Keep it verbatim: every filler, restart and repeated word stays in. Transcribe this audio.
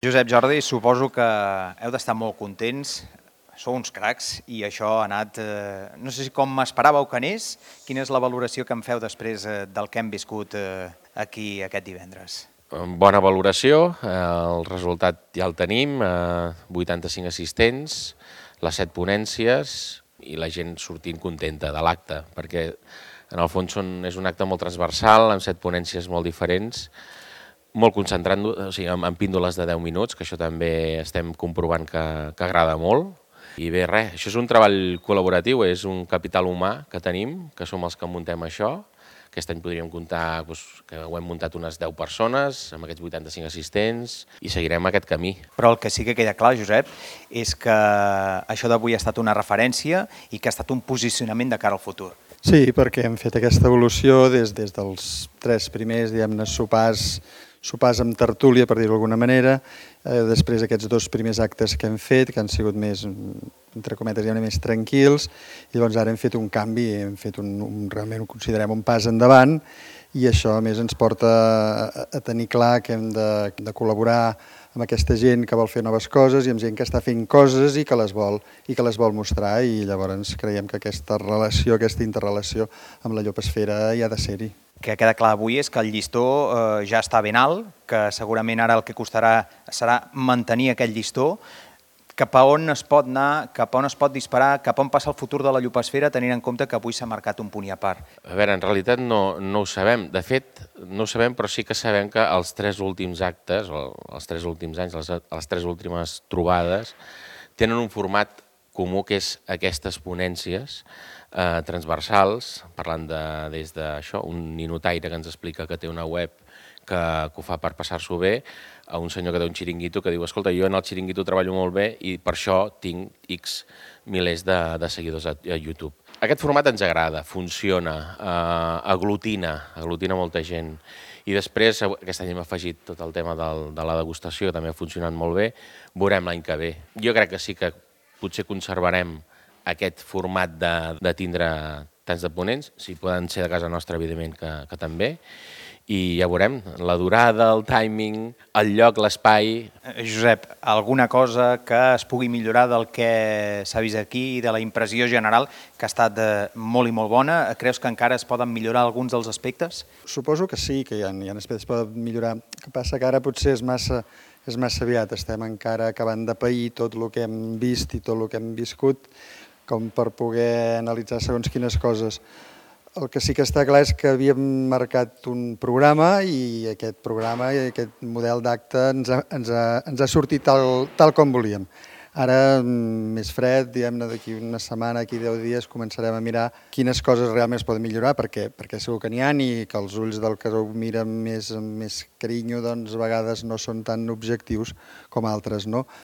Josep, Jordi, suposo que heu d'estar molt contents, sou uns cracs i això ha anat, eh, no sé si com m'esperàveu que anés, quina és la valoració que em feu després eh, del que hem viscut eh, aquí aquest divendres? Bona valoració, eh, el resultat ja el tenim, eh, vuitanta-cinc assistents, les set ponències i la gent sortint contenta de l'acte, perquè en el fons són, és un acte molt transversal, amb set ponències molt diferents, molt concentrant, o sigui, amb, amb píndoles de deu minuts, que això també estem comprovant que, que agrada molt. I bé, res, això és un treball col·laboratiu, és un capital humà que tenim, que som els que muntem això. Aquest any podríem comptar doncs, que ho hem muntat unes deu persones, amb aquests vuitanta-cinc assistents, i seguirem aquest camí. Però el que sí que queda clar, Josep, és que això d'avui ha estat una referència i que ha estat un posicionament de cara al futur. Sí, perquè hem fet aquesta evolució des, des dels tres primers, diguem-ne, sopars, sopars amb tertúlia, per dir-ho d'alguna manera, eh, després aquests dos primers actes que hem fet, que han sigut més, entre cometes, diguem-ne, més tranquils, i llavors ara hem fet un canvi, hem fet un, un, realment ho considerem un pas endavant, i això a més ens porta a, a tenir clar que hem de, de col·laborar amb aquesta gent que vol fer noves coses i amb gent que està fent coses i que les vol i que les vol mostrar, i llavors creiem que aquesta relació, aquesta interrelació amb la llopesfera hi ha de ser-hi. Que queda clar avui és que el llistó eh, ja està ben alt, que segurament ara el que costarà serà mantenir aquest llistó. Cap a on es pot anar, cap a on es pot disparar, cap a on passa el futur de la llopesfera, tenint en compte que avui s'ha marcat un punt i a part? A veure, en realitat no, no ho sabem. De fet, no ho sabem, però sí que sabem que els tres últims actes, o els tres últims anys, les, les tres últimes trobades, tenen un format comú que és aquestes ponències eh, transversals, parlant de, des d'això, un ninotaire que ens explica que té una web que, que ho fa per passar-s'ho bé, a un senyor que té un xiringuito que diu escolta, jo en el xiringuito treballo molt bé i per això tinc X milers de, de seguidors a, a YouTube. Aquest format ens agrada, funciona, eh, aglutina, aglutina molta gent. I després, aquest any hem afegit tot el tema del, de la degustació, que també ha funcionat molt bé, veurem l'any que ve. Jo crec que sí que potser conservarem aquest format de, de tindre tants de ponents, si poden ser de casa nostra, evidentment que, que també, i ja veurem la durada, el timing, el lloc, l'espai. Josep, alguna cosa que es pugui millorar del que s'ha vist aquí i de la impressió general, que ha estat molt i molt bona? Creus que encara es poden millorar alguns dels aspectes? Suposo que sí, que hi ha, hi ha aspectes que es poden millorar. El que passa que ara potser és massa, és massa aviat, estem encara acabant de pair tot el que hem vist i tot el que hem viscut, com per poder analitzar segons quines coses. El que sí que està clar és que havíem marcat un programa i aquest programa i aquest model d'acte ens, ha, ens, ha, ens ha sortit tal, tal com volíem. Ara, més fred, diguem-ne, d'aquí una setmana, d'aquí deu dies, començarem a mirar quines coses realment es poden millorar, perquè, perquè segur que n'hi ha i que els ulls del que ho mira més, més carinyo, doncs a vegades no són tan objectius com altres, no?